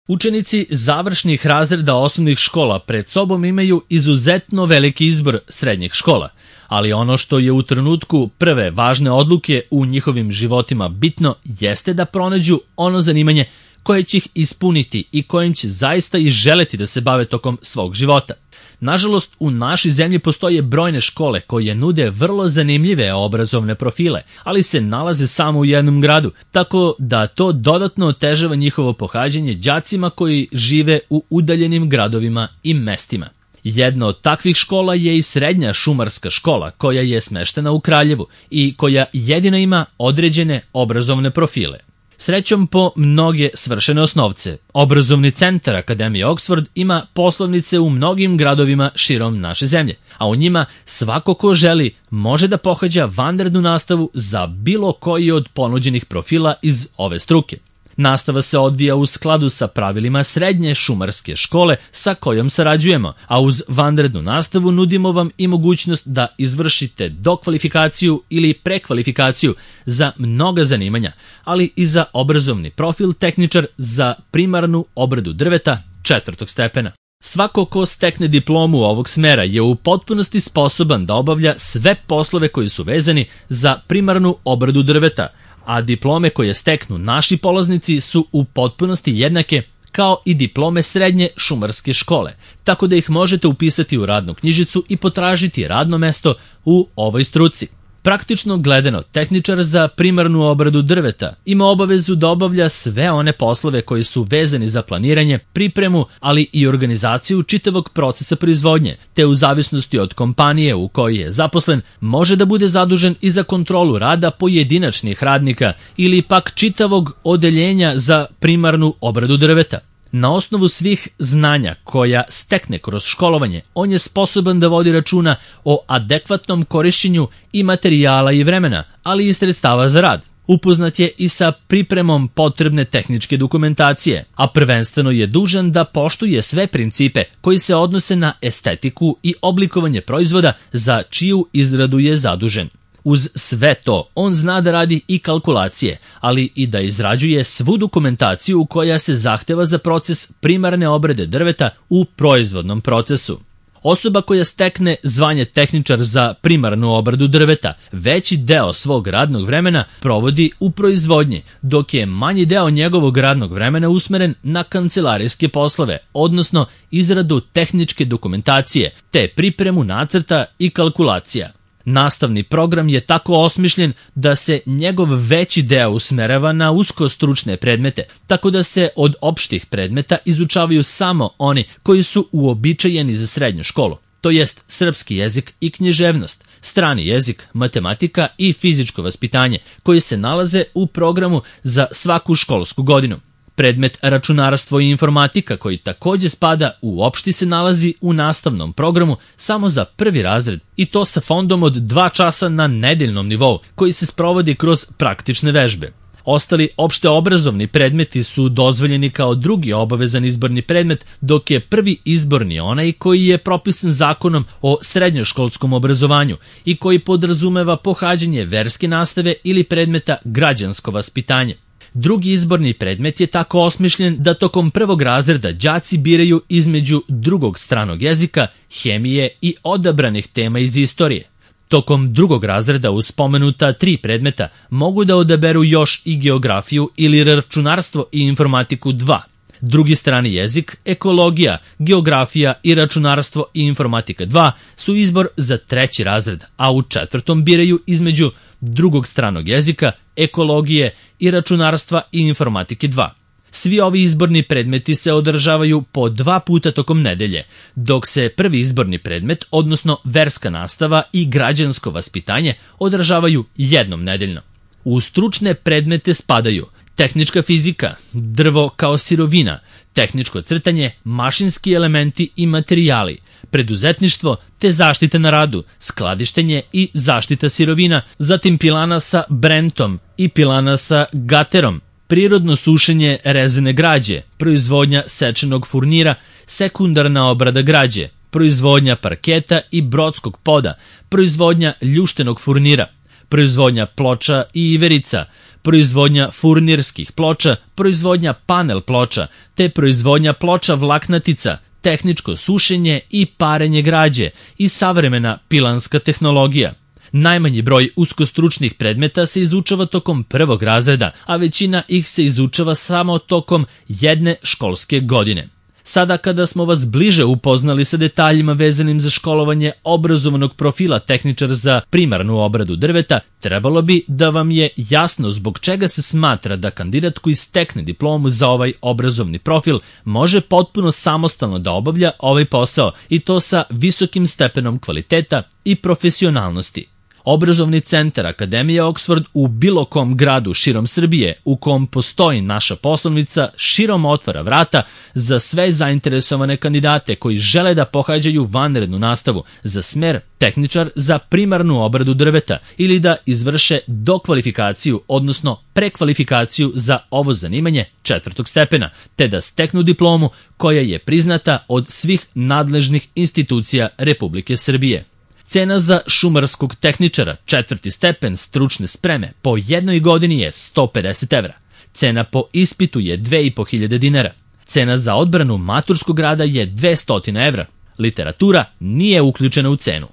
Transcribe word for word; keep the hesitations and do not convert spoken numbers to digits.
Učenici završnih razreda osnovnih škola pred sobom imaju izuzetno veliki izbor srednjih škola, ali ono što je u trenutku prve važne odluke u njihovim životima bitno jeste da pronađu ono zanimanje koje će ih ispuniti i kojim će zaista i želeti da se bave tokom svog života. Nažalost, u našoj zemlji postoje brojne škole koje nude vrlo zanimljive obrazovne profile, ali se nalaze samo u jednom gradu, tako da to dodatno otežava njihovo pohađanje đacima koji žive u udaljenim gradovima i mestima. Jedna od takvih škola je i srednja šumarska škola koja je smeštena u Kraljevu i koja jedina ima određene obrazovne profile. Srećom po mnoge svršene osnovce, obrazovni centar Akademije Oxford ima poslovnice u mnogim gradovima širom naše zemlje, a u njima svako ko želi može da pohađa vanrednu nastavu za bilo koji od ponuđenih profila iz ove struke. Nastava se odvija u skladu sa pravilima srednje šumarske škole sa kojom sarađujemo, a uz vanrednu nastavu nudimo vam i mogućnost da izvršite dokvalifikaciju ili prekvalifikaciju za mnoga zanimanja, ali i za obrazovni profil tehničar za primarnu obradu drveta četvrtog stepena. Svako ko stekne diplomu ovog smera je u potpunosti sposoban da obavlja sve poslove koji su vezani za primarnu obradu drveta, a diplome koje steknu naši polaznici su u potpunosti jednake kao i diplome srednje šumarske škole, tako da ih možete upisati u radnu knjižicu i potražiti radno mesto u ovoj struci. Praktično gledano, tehničar za primarnu obradu drveta ima obavezu da obavlja sve one poslove koji su vezani za planiranje, pripremu, ali i organizaciju čitavog procesa proizvodnje, te u zavisnosti od kompanije u kojoj je zaposlen, može da bude zadužen i za kontrolu rada pojedinačnih radnika ili pak čitavog odeljenja za primarnu obradu drveta. Na osnovu svih znanja koja stekne kroz školovanje, on je sposoban da vodi računa o adekvatnom korišćenju i materijala i vremena, ali i sredstava za rad. Upoznat je i sa pripremom potrebne tehničke dokumentacije, a prvenstveno je dužan da poštuje sve principe koji se odnose na estetiku i oblikovanje proizvoda za čiju izradu je zadužen. Uz sve to, on zna da radi i kalkulacije, ali i da izrađuje svu dokumentaciju koja se zahteva za proces primarne obrade drveta u proizvodnom procesu. Osoba koja stekne zvanje tehničar za primarnu obradu drveta veći deo svog radnog vremena provodi u proizvodnji, dok je manji deo njegovog radnog vremena usmeren na kancelarijske poslove, odnosno izradu tehničke dokumentacije, te pripremu nacrta i kalkulacija. Nastavni program je tako osmišljen da se njegov veći deo usmerava na usko stručne predmete, tako da se od opštih predmeta izučavaju samo oni koji su uobičajeni za srednju školu, to jest srpski jezik i književnost, strani jezik, matematika i fizičko vaspitanje, koji se nalaze u programu za svaku školsku godinu. Predmet računarstvo i informatika, koji takođe spada u opšti, se nalazi u nastavnom programu samo za prvi razred i to sa fondom od dva časa na nedeljnom nivou, koji se sprovodi kroz praktične vežbe. Ostali opšte obrazovni predmeti su dozvoljeni kao drugi obavezan izborni predmet, dok je prvi izborni onaj koji je propisan zakonom o srednjoškolskom obrazovanju i koji podrazumeva pohađanje verske nastave ili predmeta građansko vaspitanje. Drugi izborni predmet je tako osmišljen da tokom prvog razreda đaci biraju između drugog stranog jezika, hemije i odabranih tema iz istorije. Tokom drugog razreda uz spomenuta tri predmeta mogu da odaberu još i geografiju ili računarstvo i informatiku dva. Drugi strani jezik, ekologija, geografija i računarstvo i informatika dva su izbor za treći razred, a u četvrtom biraju između drugog stranog jezika, ekologije i računarstva i informatike dva. Svi ovi izborni predmeti se održavaju po dva puta tokom nedelje, dok se prvi izborni predmet, odnosno verska nastava i građansko vaspitanje, održavaju jednom nedeljno. U stručne predmete spadaju tehnička fizika, drvo kao sirovina, tehničko crtanje, mašinski elementi i materijali, preduzetništvo te zaštita na radu, skladištenje i zaštita sirovina, zatim pilana sa brentom i pilana sa gaterom, prirodno sušenje rezene građe, proizvodnja sečenog furnira, sekundarna obrada građe, proizvodnja parketa i brodskog poda, proizvodnja ljuštenog furnira, proizvodnja ploča i iverica, proizvodnja furnirskih ploča, proizvodnja panel ploča, te proizvodnja ploča vlaknatica, tehničko sušenje i parenje građe i savremena pilanska tehnologija. Najmanji broj uskostručnih predmeta se izučava tokom prvog razreda, a većina ih se izučava samo tokom jedne školske godine. Sada kada smo vas bliže upoznali sa detaljima vezanim za školovanje obrazovanog profila tehničar za primarnu obradu drveta, trebalo bi da vam je jasno zbog čega se smatra da kandidat koji stekne diplomu za ovaj obrazovni profil može potpuno samostalno da obavlja ovaj posao i to sa visokim stepenom kvaliteta i profesionalnosti. Obrazovni centar Akademije Oxford u bilo kom gradu širom Srbije u kom postoji naša poslovnica širom otvara vrata za sve zainteresovane kandidate koji žele da pohađaju vanrednu nastavu za smer tehničar za primarnu obradu drveta ili da izvrše dokvalifikaciju, odnosno prekvalifikaciju za ovo zanimanje četvrtog stepena, te da steknu diplomu koja je priznata od svih nadležnih institucija Republike Srbije. Cena za šumarskog tehničara četvrti stepen stručne spreme po jednoj godini je sto pedeset evra. Cena po ispitu je dve i po hiljade dinara. Cena za odbranu maturskog rada je dvesta evra. Literatura nije uključena u cenu.